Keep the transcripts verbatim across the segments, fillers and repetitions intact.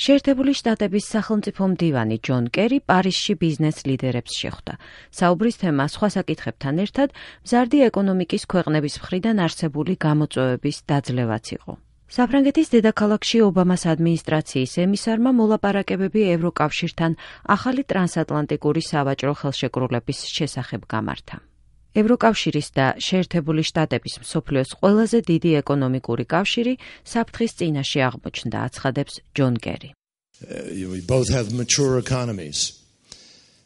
შეერთებული შტატების სახელმწიფო მდივანი ჯონ კერი პარიზში ბიზნეს ლიდერებს შეხვდა. საუბრის თემა სხვა საკითხებთან ერთად მზარდი ეკონომიკის ქვეყნების მხრიდან არსებული გამოწვევების დაძლევაც იყო. საფრანგეთის დედაქალაქში ობამას ადმინისტრაციის ემისარმა მოლაპარაკებები ევროკავშირთან ახალი ტრანსატლანტიკური სავაჭრო ხელშეკრულების შესახებ გამართა. ევროკავშირის და შეერთებული შტატების მსოფლიოს ყველაზე დიდი ეკონომიკური კავშირი საფრთხის წინაშე აღმოჩნდა, აცხადებს ჯონ კერი. We both have mature economies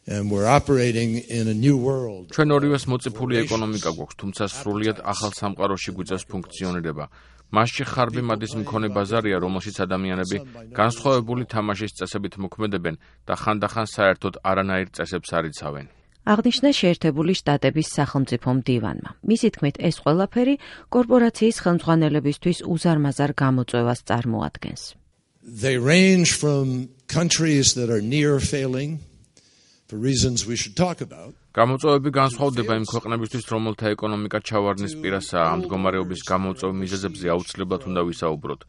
and we're operating in a new world. ჩვენ ორივეს მოწიფული ეკონომიკა გვაქვს, თუმცა სრულიად ახალ სამყაროში გვიწევს ფუნქციონირება. მასში ხარბი მადის მქონე ბაზარია, რომელშიც ადამიანები განსხვავებული თამაშის წესებით მოქმედებენ და ხანდახან საერთოდ არანაირ წესებს არ იცავენ. აღნიშნა შეერთებული შტატების სახელმწიფო მდივანმა. მისი თქმით, ეს ყველაფერი კორპორაციის ხელმძღვანელებისთვის უზარმაზარ გამოწვევას წარმოადგენს. They range from countries that are near failing for reasons we should talk about. გამოწვევები განსხვავდება იმ ქვეყნებისთვის, რომელთა ეკონომიკა ჩავარდნის პირასაა. ამ მდგომარეობის გამოწვევ მიზეზებზე აუცილებლად უნდა ვისაუბროთ.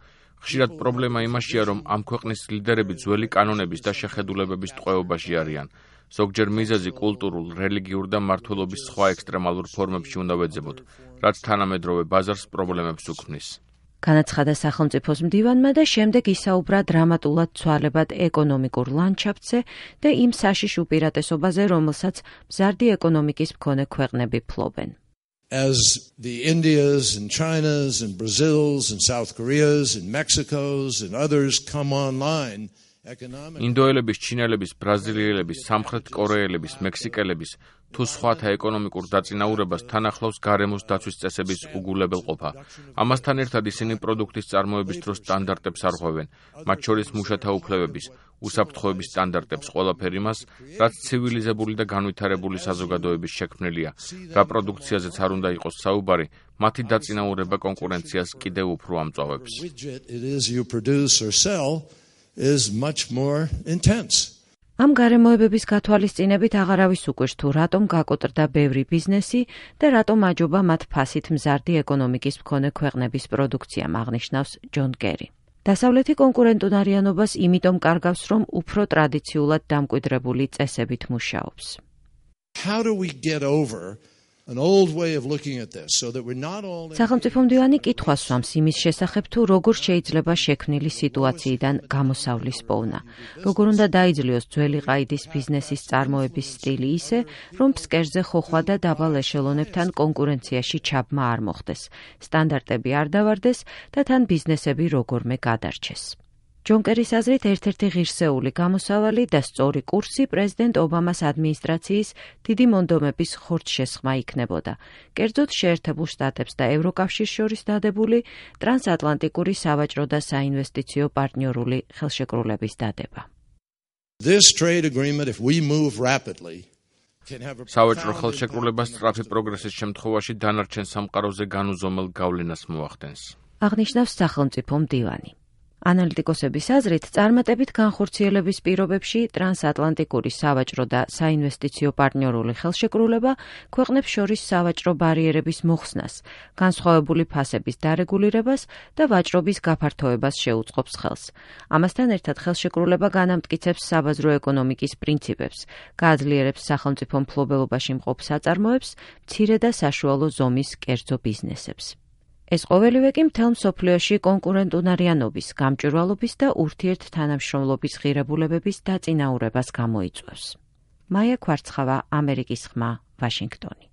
ხშირად პრობლემა იმაშია, რომ ამ ქვეყნის ლიდერები ძველი კანონების და შეხედულებების ტყვეობაში არიან. ზოგჯერ მიზეზი კულტურულ, რელიგიურ და მმართველობის სხვა ექსტრემალურ ფორმებში უნდა ვეძებოთ, რაც თანამედროვე ბაზარს პრობლემებს უქმნის. განაცხადა სახელმწიფოს მდივანმა და შემდეგ ისაუბრა დრამატულად ცვალებად ეკონომიკურ ლანდშაფტზე და იმ საშიშ უპირატესობაზე, რომელსაც მზარდი ეკონომიკის მქონე ქვეყნები ფლობენ. As the Indias and Chinas and Brazils and South Koreas and Mexicos and others come online, ინდოელების, ჩინელების, ბრაზილიელების, სამხრეთ კორეელების, მექსიკელების თუ სხვათა ეკონომიკურ დაწინაურებას თან ახლავს გარემოს დაცვის წესების უგულებელყოფა. ამასთან ერთად ისინი პროდუქტის წარმოების დროს სტანდარტებს არღვევენ, მათ შორის მუშათა უფლებების, უსაფრთხოების სტანდარტებს, ყველაფერი მას, რაც ცივილიზებული და განვითარებული საზოგადოების შექმნილია. რა პროდუქციაზეც არ უნდა იყოს საუბარი, მათი დაწინაურება კონკურენციას კიდევ უფრო ამწვავებს. is much more intense. ამ გარემოებების გათვალისწინებით აღარავის უკვირს თუ რატომ გაკოტრდა ბევრი ბიზნესი და რატომ აჯობა მათ ფასით მზარდი ეკონომიკის მქონე ქვეყნების პროდუქციამ, აღნიშნავს ჯონ კერი. დასავლეთი კონკურენტუნარიანობას იმიტომ კარგავს, რომ უფრო ტრადიციულად დამკვიდრებული წესებით მუშაობს. How do we get over an old way of looking at this so that we're not all სახელმწიფო მდივანი კითხვას სვამს იმის შესახებ, თუ როგორ შეიძლება შექმნილი სიტუაციიდან გამოსავლის პოვნა. როგორ უნდა დაიძლიოს ძველი ყაიდის ბიზნესის წარმოების სტილი ისე, რომ ფსკერზე ხოხვა და დაბალ ეშელონებთან კონკურენციაში ჩაბმა არ მოხდეს, სტანდარტები არ დავარდეს და თან ბიზნესები როგორმე გადარჩეს. ჯონ კერის აზრით ერთ-ერთი ღირსეული გამოსავალი და სწორი კურსი პრეზიდენტ ობამას ადმინისტრაციის დიდი მონდომების ხორცშესხმა იქნებოდა. კერძოდ შეერთებულ შტატებს და ევროკავშირს შორის დადებული ტრანსატლანტიკური სავაჭრო და საინვესტიციო პარტნიორული ხელშეკრულების დადება. This trade agreement, if we move rapidly, სავაჭრო ხელშეკრულება სწრაფი პროგრესის შემთხვევაში დანარჩენ სამყაროზე განუზომელ გავლენას მოახდენს. აღნიშნავს სახელმწიფო მდივანი. ანალიტიკოსების აზრით, წარმატებით განხორციელების პირობებში ტრანსატლანტიკური სავაჭრო და საინვესტიციო პარტნიორული ხელშეკრულება ქვეყნებს შორის სავაჭრო ბარიერების მოხსნას, განსხვავებული ფასების დარეგულირებას და ვაჭრობის გაფართოებას შეუწყობს ხელს. ამასთან ერთად ხელშეკრულება განამტკიცებს საბაზრო ეკონომიკის პრინციპებს, გააძლიერებს სახელმწიფო მფლობელობაში მყოფ საწარმოებს, მცირე და საშუალო ზომის კერძო ბიზნესებს. ეს ყოველივე კი მთელ მსოფლიოში კონკურენტუნარიანობის, გამჭვირვალობის და ურთიერთთანამშრომლობის ღირებულებების დაწინაურებას გამოიწვევს. მაია ქვარცხავა, ამერიკის ხმა, ვაშინგტონი.